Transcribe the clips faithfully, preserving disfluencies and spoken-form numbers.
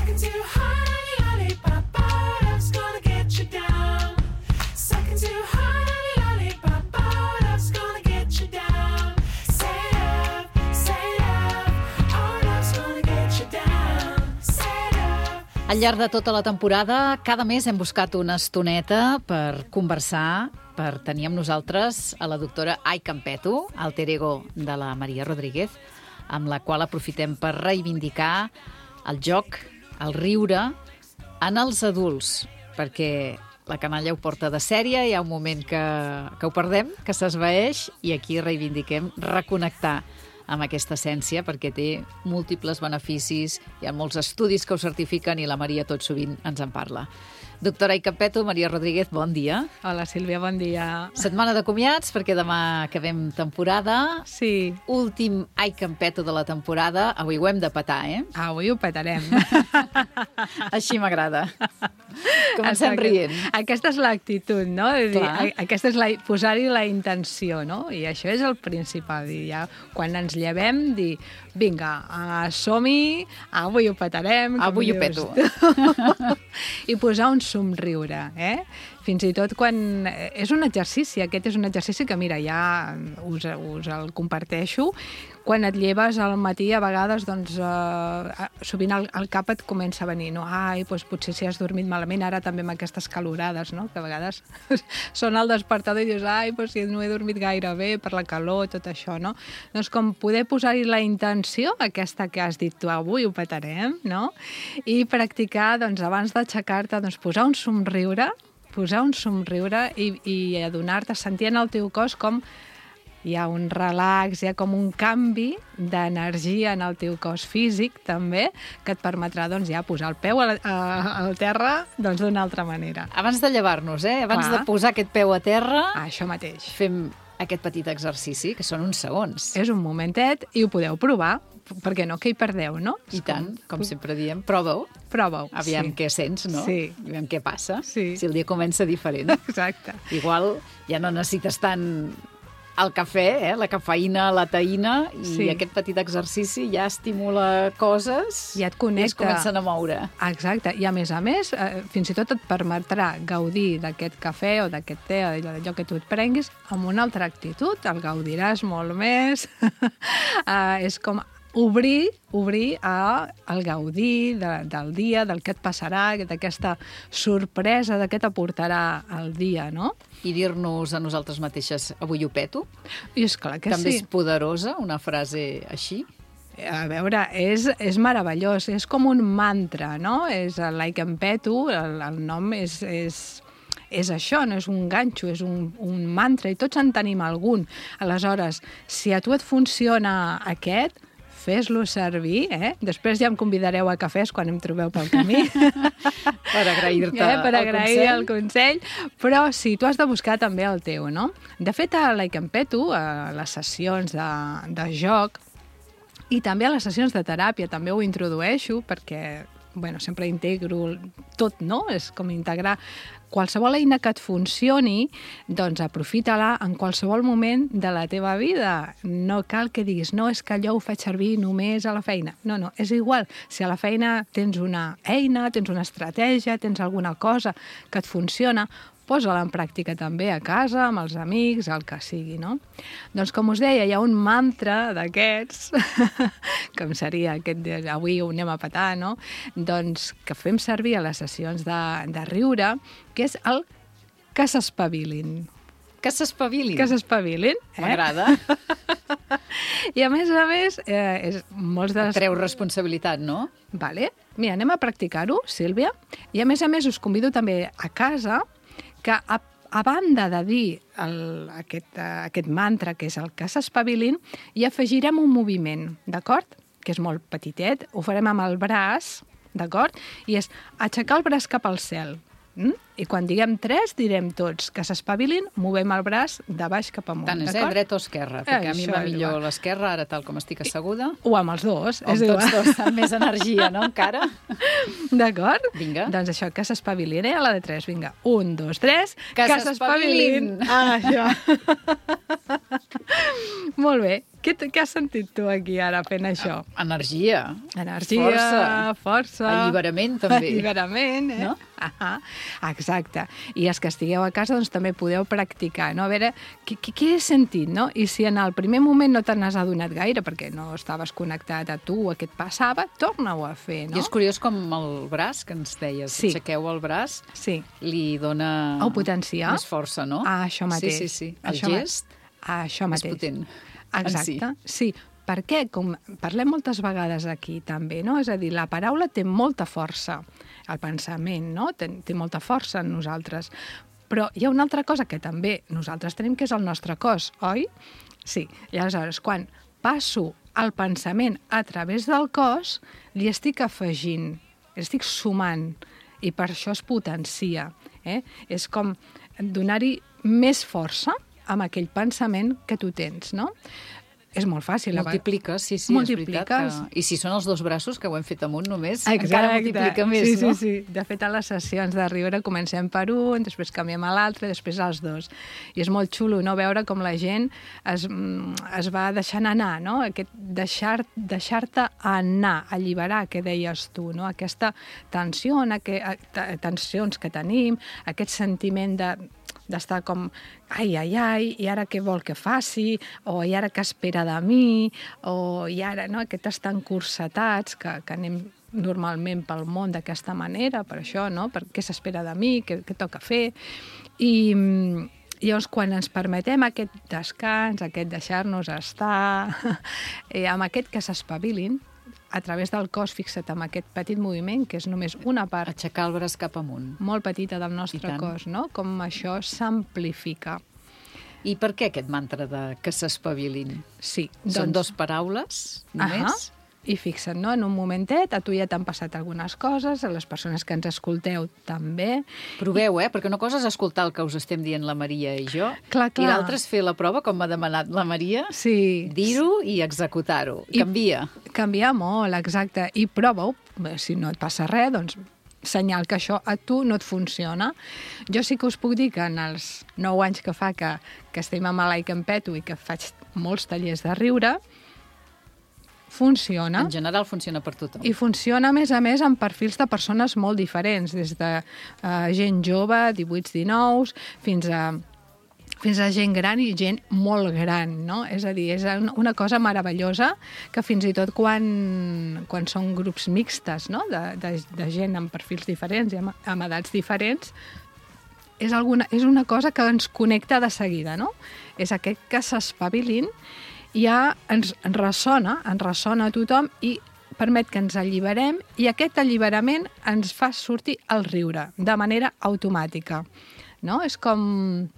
Sucking too hard on your lollipop, love's gonna get you down. Sucking too hard on your lollipop, love's gonna get you down. Say love, say love, oh, love's gonna get you down. Say love. Al llarg de tota la temporada, cada mes hem buscat una estoneta per conversar, per tenir amb nosaltres a la doctora Ai Campeto, alter ego de la Maria Rodríguez, amb la qual aprofitem per reivindicar el joc, el riure, en els adults, perquè la canalla ho porta de sèrie, hi ha un moment que, que ho perdem, que s'esvaeix, i aquí reivindiquem reconnectar amb aquesta essència, perquè té múltiples beneficis, hi ha molts estudis que ho certifiquen i la Maria tot sovint ens en parla. Doctora Ai Campeto, Maria Rodríguez, bon dia. Hola, Sílvia, bon dia. Setmana de comiats, perquè demà acabem temporada. Sí. Últim Ai Campeto de la temporada. Avui ho hem de petar, eh? Avui ho petarem. Així m'agrada. Comencem Exacte. rient. Aquesta és l'actitud, no? De dir, Clar. aquesta és la, posar-hi la intenció, no? I això és el principal. I ja, quan ens llevem, dir, vinga, uh, som-hi, avui ho petarem. com Avui ho dius. peto. I posar un somriure, eh? Fins i tot quan... És un exercici, aquest és un exercici que, mira, ja us, us el comparteixo. Quan et lleves al matí, a vegades, doncs, eh, sovint el, el cap et comença a venir, no? Ai, doncs potser si has dormit malament, ara també amb aquestes calorades, no? Que a vegades sona el despertador i dius, ai, doncs si no he dormit gaire bé per la calor, tot això, no? Doncs com poder posar-hi la intenció, aquesta que has dit tu, avui ho petarem, no? I practicar, doncs, abans d'aixecar-te, doncs, posar un somriure, posar un somriure i, i adonar-te, sentir en el teu cos com hi ha un relax, hi ha com un canvi d'energia en el teu cos físic, també, que et permetrà, doncs, ja posar el peu a, a, al terra, doncs, d'una altra manera. Abans de llevar-nos, eh? Abans Clar. de posar aquest peu a terra, Ah, això mateix. fem aquest petit exercici, que són uns segons. És un momentet i ho podeu provar, perquè no, que hi perdeu, no? I tant, com sempre diem, prova-ho. Prova-ho. Aviam sí. què sents, no? Sí. Aviam què passa. Sí. Si el dia comença diferent. Exacte. Igual ja no necessites tant el cafè, eh? La cafeïna, la taïna, i Sí. aquest petit exercici ja estimula coses I et i connecta. es comencen a moure. Exacte, i a més a més, eh, fins i tot et permetrà gaudir d'aquest cafè o d'aquest te o d'allò que tu et prenguis amb una altra actitud, el gaudiràs molt més. eh, és com obrir, obrir a, al gaudir de, del dia, del que et passarà, d'aquesta sorpresa, de què t'aportarà el dia, no? I dir-nos a nosaltres mateixes, avui ho peto, I esclar que també sí. és poderosa, una frase així. A veure, és, és meravellós, és com un mantra, no? És el Ai Campeto, el, el nom és, és, és això, no és un ganxo, és un, un mantra, i tots en tenim algun. Aleshores, si a tu et funciona aquest, fes-lo servir, eh? Després ja em convidareu a cafès quan em trobeu pel camí. Per agrair-te eh? Per el agrair consell. el consell. Però sí, tu has de buscar també el teu, no? De fet, a l'Ai Campeto, a les sessions de, de joc, i també a les sessions de teràpia també ho introdueixo perquè, bueno, sempre integro tot, no? És com integrar qualsevol eina que et funcioni, doncs aprofita-la en qualsevol moment de la teva vida. No cal que diguis, no, és que allò ho faig servir només a la feina. No, no, és igual. Si a la feina tens una eina, tens una estratègia, tens alguna cosa que et funciona, posa-la en pràctica també a casa, amb els amics, el que sigui, no? Doncs, com us deia, hi ha un mantra d'aquests, com seria aquest de avui ho anem a petar, no? Doncs que fem servir a les sessions de, de riure, que és el que s'espavilin. Que s'espavilin. Que s'espavilin. Eh? M'agrada. I a més a més, eh, és molts de les... Treu responsabilitat, no? Vale. Mira, anem a practicar-ho, Sílvia. I a més a més us convido també a casa que a, a banda de dir el, aquest, uh, aquest mantra, que és el que s'espavilin, hi afegirem un moviment, d'acord? Que és molt petitet, ho farem amb el braç, d'acord? I és aixecar el braç cap al cel. Mm? I quan diguem tres, direm tots que s'espavilin, movem el braç de baix cap amunt. Tant és, eh? Dret o esquerra, perquè eh, a mi va millor l'esquerra, ara tal com estic asseguda. O amb els dos, o és amb igual. tots dos, amb més energia, no, encara? D'acord? Vinga. Doncs això, que s'espavilin, eh? A la de tres, vinga. Un, dos, tres... Que s'espavilin! Ah, això. Molt bé. Què, t- què has sentit tu aquí ara fent això? Energia. Energia, Força. força. Alliberament, també. Alliberament, eh? No? Ah, exacte. I els que estigueu a casa, doncs també podeu practicar, no? A veure, què, què, què he sentit, no? I si en el primer moment no te n'has adonat gaire, perquè no estaves connectat a tu, a què et passava, torna-ho a fer, no? I és curiós com el braç, que ens deies, Sí. aixequeu el braç, Sí. li dona Ho potencia. més força, no? Ah, això mateix. Sí, sí, sí. El Això ma- gest Ah, això és mateix. potent. Exacte, sí. Perquè, com parlem moltes vegades aquí també, no? És a dir, la paraula té molta força, el pensament, no? Té, té molta força en nosaltres. Però hi ha una altra cosa que també nosaltres tenim, que és el nostre cos, oi? Sí. I aleshores, quan passo el pensament a través del cos, li estic afegint, li estic sumant, i per això es potencia. Eh? És com donar-hi més força amb aquell pensament que tu tens, no? És molt fàcil. a ve- Multipliques, sí, sí, Multipliques. és veritat. Que... I si són els dos braços, que ho hem fet amunt només, Exacte. encara multiplica més, sí, no? Sí, sí. De fet, a les sessions de riure comencem per un, després canviem a l'altre, després als dos. I és molt xulo, no?, veure com la gent es, mm, es va deixant anar, no? Aquest deixar, deixar-te anar, alliberar, que deies tu, no? Aquesta tensió, aquest, tensions que tenim, aquest sentiment de d'estar com, ai, ai, ai, i ara què vol que faci, o i ara què espera de mi, o i ara, no?, aquests tan cursetats que, que anem normalment pel món d'aquesta manera, per això, no?, per què s'espera de mi, què, què toca fer, i i llavors quan ens permetem aquest descans, aquest deixar-nos estar, eh, amb aquest que s'espavilin, a través del cos, fixa't amb aquest petit moviment, que és només una part Aixecar el braç cap amunt. molt petita del I nostre tant. cos, no? Com això s'amplifica. I per què aquest mantra de que s'espavilin? Sí. Són dos paraules, només? Ahà. I fixa't, no? En un momentet, a tu ja t'han passat algunes coses, a les persones que ens escolteu també. Proveu, eh? Perquè una cosa és escoltar el que us estem dient la Maria i jo, Clar, clar. i l'altra és fer la prova, com m'ha demanat la Maria, Sí. dir-ho i executar-ho. I- Canvia. Canvia molt, exacte. I prova-ho. Si no et passa res, doncs senyal que això a tu no et funciona. Jo sí que us puc dir que en els nou anys que fa que, que estem amb l'Ai Campeto i que faig molts tallers de riure, funciona. En general funciona per tothom. I funciona, a més a més, amb perfils de persones molt diferents, des de uh, gent jove, divuit dinou, fins a fins a gent gran i gent molt gran, no? És a dir, és una cosa meravellosa que fins i tot quan, quan són grups mixtes, no?, de, de, de gent amb perfils diferents i amb, amb edats diferents, és, alguna, és una cosa que ens connecta de seguida, no? És aquest que s'espavilin, ja ens ressona, ens ressona a tothom i permet que ens alliberem, i aquest alliberament ens fa sortir el riure de manera automàtica, no? És com...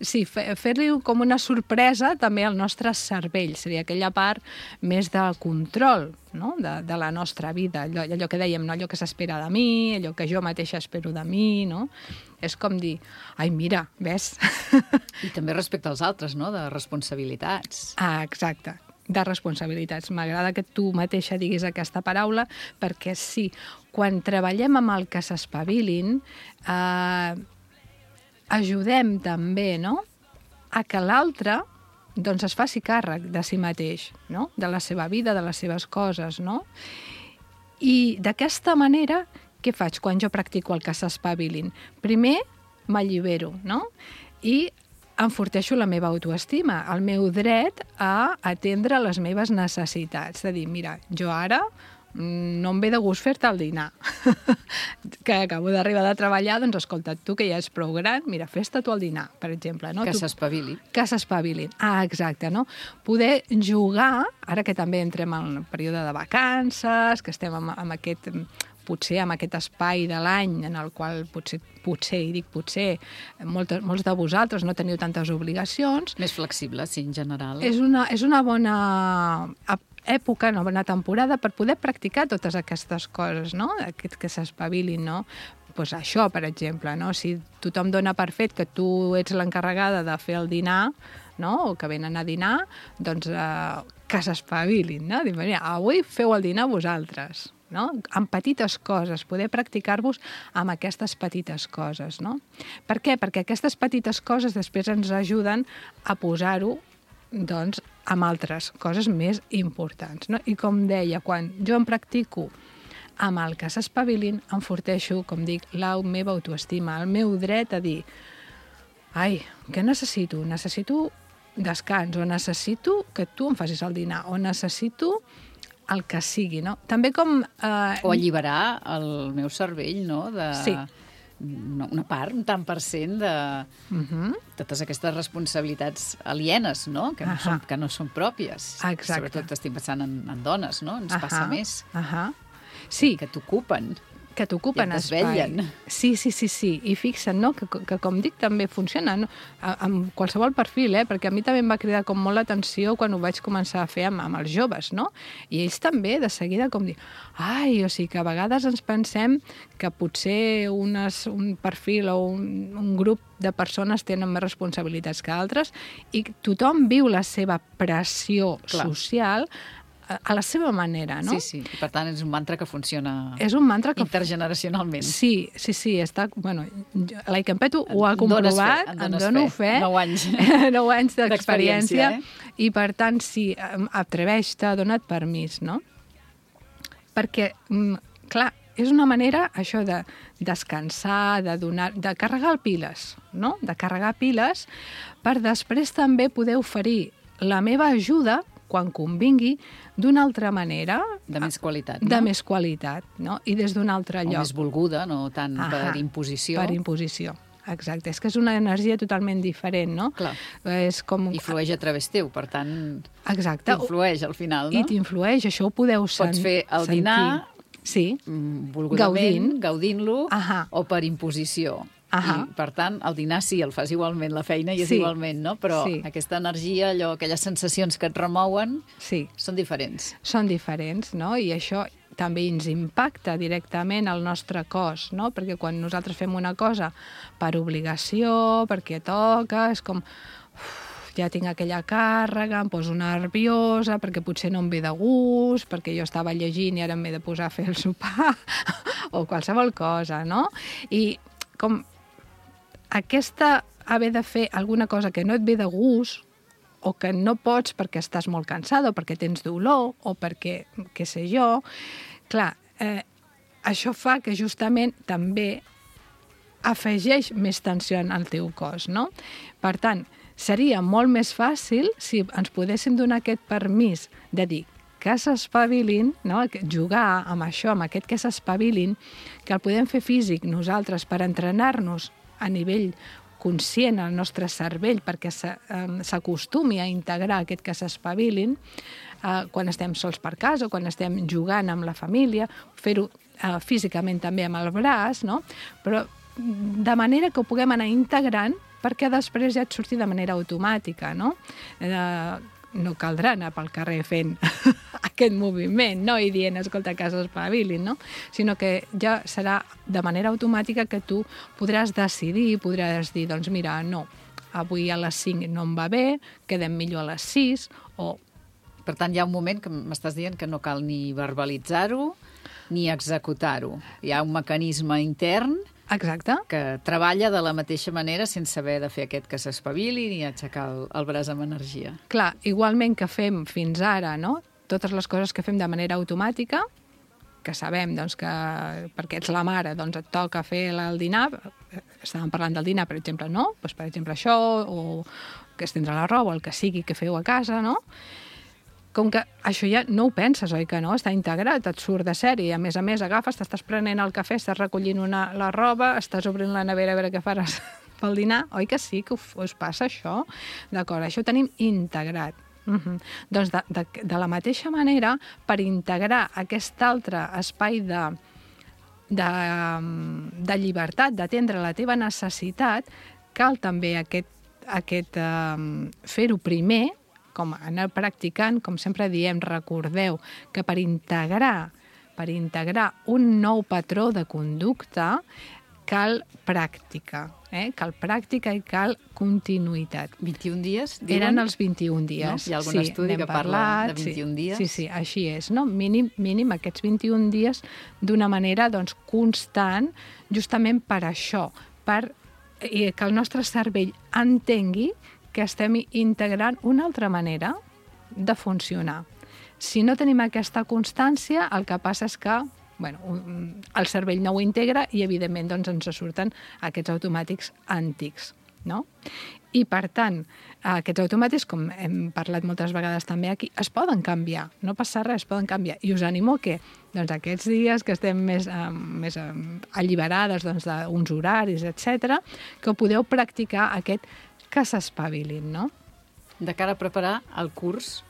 Sí, fer-li com una sorpresa també al nostre cervell, seria aquella part més del control, no?, de, de la nostra vida, allò, allò que dèiem, no?, allò que s'espera de mi, allò que jo mateixa espero de mi, no? És com dir, ai, mira, ves? I també respecte als altres, no?, de responsabilitats. Ah, exacte, de responsabilitats. M'agrada que tu mateixa diguis aquesta paraula, perquè sí, quan treballem amb el que s'espavilin, eh, ajudem també, no?, a que l'altre doncs es faci càrrec de si mateix, no?, de la seva vida, de les seves coses, no? I d'aquesta manera, què faig quan jo practico el que s'espavilin? Primer, m'allibero, no?, i enforteixo la meva autoestima, el meu dret a atendre les meves necessitats, de dir, mira, jo ara no em ve de gust fer-te el dinar. Que acabo d'arribar de treballar, doncs escolta, tu que ja ets prou gran, mira, fes-te tu el dinar, per exemple. No? Que Tu- s'espavili. Que s'espavilin. Ah, exacte, no? Poder jugar, ara que també entrem en el període de vacances, que estem amb, amb aquest, potser amb aquest espai de l'any en el qual potser, potser i dic potser, moltes, molts de vosaltres no teniu tantes obligacions, Més flexible, sí, en general. és una, és una bona ep- època, una bona temporada per poder practicar totes aquestes coses, no? Aquest que s'espavilin, no? Pues això, per exemple, no? Si tothom dona per fet que tu ets l'encarregada de fer el dinar, no?, o que venen a dinar, doncs eh, que s'espavilin, no? Dir, mira, avui feu el dinar vosaltres, no? Amb petites coses, poder practicar-vos amb aquestes petites coses, no? Per què? Perquè aquestes petites coses després ens ajuden a posar-ho, doncs, amb altres coses més importants. No? I com deia, quan jo em practico amb el que s'espavilin, enforteixo, com dic, la meva autoestima, el meu dret a dir ai, què necessito? Necessito descans, o necessito que tu em facis el dinar, o necessito el que sigui, no? També com... Eh... O alliberar el meu cervell, no? De... Sí. Una part, un tant per cent de Uh-huh. totes aquestes responsabilitats alienes, no? Que no, Ahà. són, que no són pròpies. Exacte. Sobretot estic pensant en, en dones, no? Ens passa més. Ahà. Sí, Que t'ocupen. que t'ocupen I et espai. desvetllen. Sí, sí, sí, sí. I fixa't, no?, que, que com dic també funciona, no? A- amb qualsevol perfil, eh? Perquè a mi també em va cridar com molt l'atenció quan ho vaig començar a fer amb, amb els joves, no? I ells també, de seguida, com dir ai, o sigui, que a vegades ens pensem que potser unes, un perfil o un, un grup de persones tenen més responsabilitats que altres i tothom viu la seva pressió Clar. social a, a la seva manera, no? Sí, sí. I per tant, és un mantra que funciona És un mantra que intergeneracionalment. Sí, sí, sí, està... Bueno, jo- la Icampet ho ha En dones comprovat, fe, en en dones dono fe. fe. Nou anys. Nou anys d'experiència. D'experiència, eh? I, per tant, sí, em- atreveix-te, dona't permís, no? Perquè, mm, clar, és una manera, això de descansar, de donar, de carregar piles, no? De carregar piles per després també poder oferir la meva ajuda, quan convingui, d'una altra manera, De més qualitat, de no? més qualitat, no? I des d'un altre O lloc. més volguda, no tant Ahà, per imposició. Per imposició, exacte. És que és una energia totalment diferent, no? Clar. És com... I flueix a través teu, per tant, Exacte. t'influeix al final, I no? t'influeix, això ho podeu sen- Pots fer el sentir. dinar Sí, Mm, volgudament, Gaudint. gaudint-lo, Ahà. o per imposició. Ahà. I, per tant, el dinar sí, el fas igualment, la feina i és Sí. igualment, no? Però Sí. aquesta energia, allò, aquelles sensacions que et remouen, sí. són diferents. Són diferents, no? I això també ens impacta directament al nostre cos, no? Perquè quan nosaltres fem una cosa per obligació, perquè toca, és com... Uf, ja tinc aquella càrrega, em poso nerviosa, perquè potser no em ve de gust, perquè jo estava llegint i ara m'he de posar a fer el sopar, o qualsevol cosa, no? I com aquesta haver de fer alguna cosa que no et ve de gust, o que no pots perquè estàs molt cansada, o perquè tens dolor, o perquè, què sé jo, clar, eh, això fa que justament també afegeix més tensió en el teu cos, no? Per tant, seria molt més fàcil si ens podéssim donar aquest permís de dir que s'espavilin, no? Jugar amb això, amb aquest que s'espavilin, que el podem fer físic nosaltres per entrenar-nos a nivell conscient al nostre cervell perquè s'acostumi a integrar aquest que s'espavilin eh, quan estem sols per casa o quan estem jugant amb la família, fer-ho eh, físicament també amb el braç, no? Però de manera que ho puguem anar integrant perquè després ja et surti de manera automàtica, no? Eh, no caldrà anar pel carrer fent aquest moviment, no? I dient, escolta, que s'espavilin, no? Sinó que ja serà de manera automàtica que tu podràs decidir, podràs dir, doncs mira, no, avui a les cinc no em va bé, quedem millor a les sis, o... Per tant, hi ha un moment que m'estàs dient que no cal ni verbalitzar-ho ni executar-ho. Hi ha un mecanisme intern Exacte. que treballa de la mateixa manera sense haver de fer aquest que s'espavili ni aixecar el, el braç amb energia. Clar, igualment que fem fins ara, no? Totes les coses que fem de manera automàtica, que sabem doncs, que perquè ets la mare doncs et toca fer el dinar, estàvem parlant del dinar, per exemple, no? Doncs, per exemple, això, o que estendre la roba, o el que sigui que feu a casa, no? Com que això ja no ho penses, oi que no? Està integrat, et surt de sèrie. A més a més, agafes, t'estàs prenent el cafè, estàs recollint una, la roba, estàs obrint la nevera a veure què faràs pel dinar. Oi que sí que us, us passa això? D'acord, això ho tenim integrat. Uh-huh. Doncs de, de, de la mateixa manera, per integrar aquest altre espai de, de, de llibertat, d'atendre la teva necessitat, cal també aquest, aquest um, fer-ho primer, com anar practicant, com sempre diem, recordeu que per integrar, per integrar un nou patró de conducta cal pràctica, eh? Cal pràctica i cal continuïtat. vint-i-un dies, diuen? Eren els vint-i-un dies. No? Hi ha algun sí, estudi n'hem que parla parlat, de vint-i-un sí, dies? Sí, sí, així és, no? Mínim, mínim aquests vint-i-un dies d'una manera doncs, constant, justament per això, per i que el nostre cervell entengui que estem integrant una altra manera de funcionar. Si no tenim aquesta constància, el que passa és que bueno, el cervell no ho integra i, evidentment, doncs, ens surten aquests automàtics antics. No? I, per tant, aquests automàtics, com hem parlat moltes vegades també aquí, es poden canviar, no passa res, es poden canviar. I us animo que doncs, aquests dies que estem més, eh, més eh, alliberades doncs, d'uns horaris, etcètera, que podeu practicar aquest que s'espavilin, no? De cara a preparar el curs,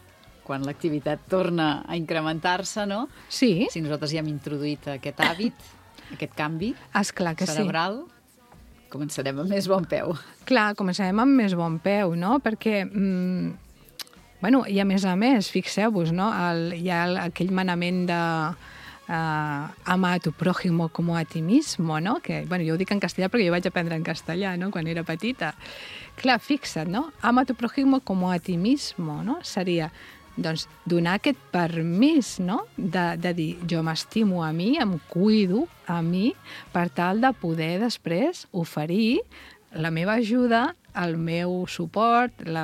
quan l'activitat torna a incrementar-se, no? Sí. Si nosaltres ja hem introduït aquest hàbit, aquest canvi Esclar que cerebral, sí. Començarem amb més bon peu. Clar, començarem amb més bon peu, no? Perquè, mm, bueno, i a més a més, fixeu-vos, no? El, hi ha el, aquell manament de uh, ama a tu prójimo como a ti mismo, no? Que, bueno, jo ho dic en castellà perquè jo vaig aprendre en castellà, no?, quan era petita. Clar, fixa't, no? Ama a tu prójimo como a ti mismo, no? Seria, doncs, donar aquest permís, no?, de, de dir, jo m'estimo a mi, em cuido a mi, per tal de poder després oferir la meva ajuda, el meu suport, la,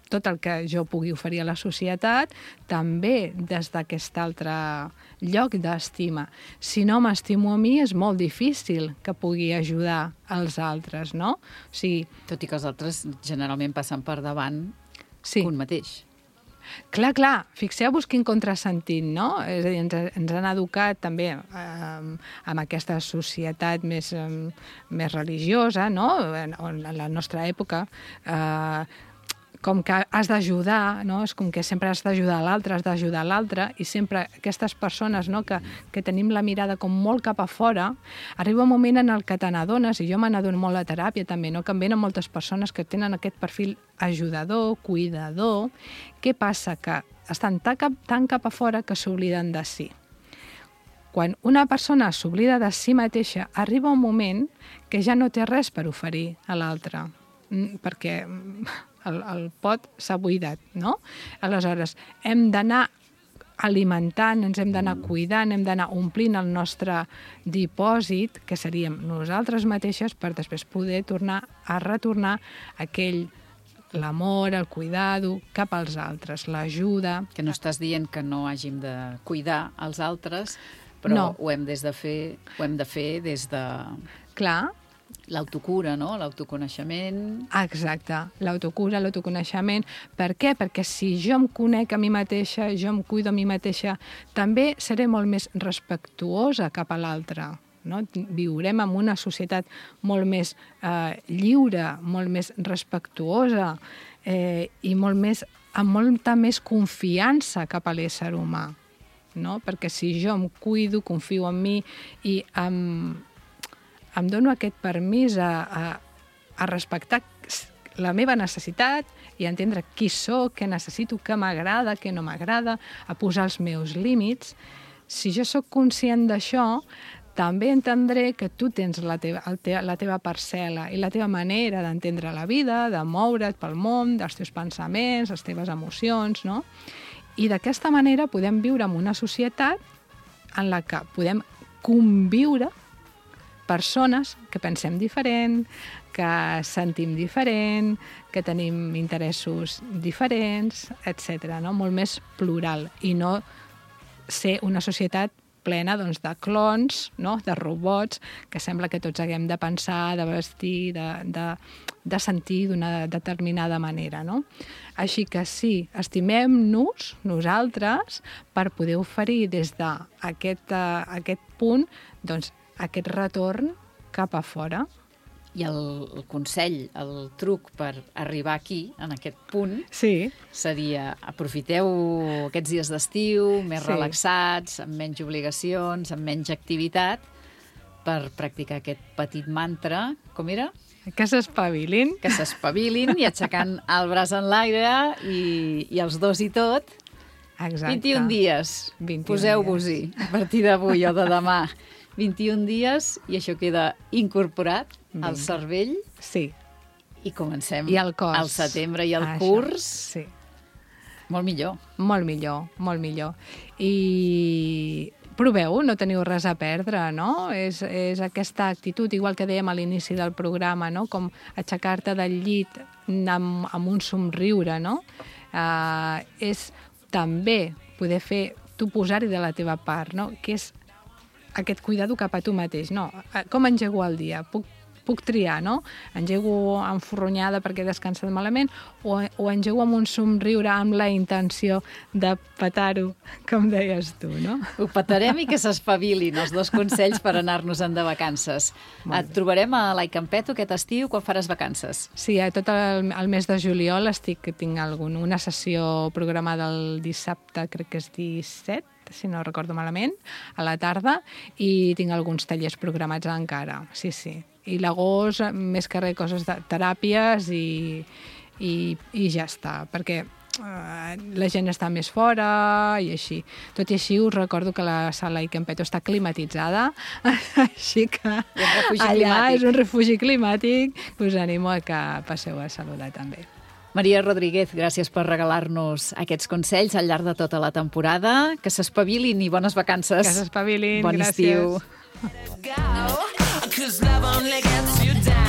tot el que jo pugui oferir a la societat, també des d'aquest altre lloc d'estima. Si no m'estimo a mi, és molt difícil que pugui ajudar als altres, no? O sigui, tot i que els altres generalment passen per davant sí. un mateix. Clar, clar, fixeu-vos quin contrasentit, no? És a dir, ens, ens han educat també eh, amb aquesta societat més, eh, més religiosa, no? En, en la nostra època, eh, com que has d'ajudar, no? És com que sempre has d'ajudar a l'altre, has d'ajudar a l'altre, i sempre aquestes persones, no?, que, que tenim la mirada com molt cap a fora, arriba un moment en el que te n'adones, i jo me n'adono molt a teràpia també, no?, que em venen moltes persones que tenen aquest perfil ajudador, cuidador. Què passa? Que estan tan cap, tan cap a fora que s'obliden de si. Quan una persona s'oblida de si mateixa, arriba un moment que ja no té res per oferir a l'altre, perquè el, el pot s'ha buidat, no? Aleshores, hem d'anar alimentant, ens hem d'anar cuidant, hem d'anar omplint el nostre dipòsit, que seríem nosaltres mateixes, per després poder tornar a retornar aquell l'amor, el cuidado cap als altres, l'ajuda. Que no estàs dient que no hàgim de cuidar els altres, però no. ho hem, des de fer, ho hem de fer des de... Clar. L'autocura, no? L'autoconeixement. Exacte, l'autocura, l'autoconeixement. Per què? Perquè si jo em conec a mi mateixa, jo em cuido a mi mateixa, també seré molt més respectuosa cap a l'altre. No? Viurem en una societat molt més eh, lliure, molt més respectuosa eh, i molt més, amb molta més confiança cap a l'ésser humà. No? Perquè si jo em cuido, confio en mi i em, em dono aquest permís a, a, a respectar la meva necessitat i a entendre qui sóc, què necessito, què m'agrada, què no m'agrada, a posar els meus límits. Si jo sóc conscient d'això, també entendré que tu tens la teva, el te, la teva parcel·la i la teva manera d'entendre la vida, de moure't pel món, dels teus pensaments, les teves emocions, no? I d'aquesta manera podem viure en una societat en la que podem conviure persones que pensem diferent, que sentim diferent, que tenim interessos diferents, etcètera, no? Molt més plural, i no ser una societat plena doncs, de clons, no? De robots, que sembla que tots haguem de pensar, de vestir, de, de, de sentir d'una determinada manera. No? Així que sí, estimem-nos nosaltres per poder oferir des d'aquest uh, aquest punt doncs, aquest retorn cap a fora. I el, el consell, el truc per arribar aquí, en aquest punt, sí. seria aprofiteu aquests dies d'estiu, més sí. relaxats, amb menys obligacions, amb menys activitat, per practicar aquest petit mantra. Com era? Que s'espavilin. Que s'espavilin i aixecant el braç en l'aire i, i els dos i tot. Exacte. vint-i-un dies. Poseu-vos-hi a partir d'avui o de demà. vint-i-un dies i això queda incorporat Vinga. al cervell. Sí. I comencem I el cos. al setembre i el Això, curs. Sí. Molt millor. Molt millor, molt millor. I proveu, no teniu res a perdre, no? És, és aquesta actitud, igual que dèiem a l'inici del programa, no? Com aixecar-te del llit amb, amb un somriure, no? uh, és també poder fer, tu posar-hi de la teva part, no? Que és aquest cuidado cap a tu mateix. No, com engego el dia? Puc puc triar, no? Engego enforronyada perquè he descansat malament o, o engego amb un somriure amb la intenció de petar-ho, com deies tu, no? Ho petarem i que s'espavilin els dos consells per anar-nos-en de vacances. Et trobarem a l'Aicampeto aquest estiu quan faràs vacances. Sí, a tot el, el mes de juliol estic, tinc algun, una sessió programada el dissabte, crec que és disset, si no recordo malament, a la tarda, i tinc alguns tallers programats encara, sí, sí. I l'agost, més que res, coses de teràpies i, i, i ja està, perquè uh, la gent està més fora i així. Tot i així us recordo que la sala Aicampeto està climatitzada, així que allà climàtic. És un refugi climàtic, us animo a que passeu a saludar també. Maria Rodríguez, gràcies per regalar-nos aquests consells al llarg de tota la temporada. Que s'espavilin i bones vacances. Que s'espavilin, bon gràcies. Estiu. Cause love only gets you down.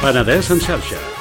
Penedès en xarxa.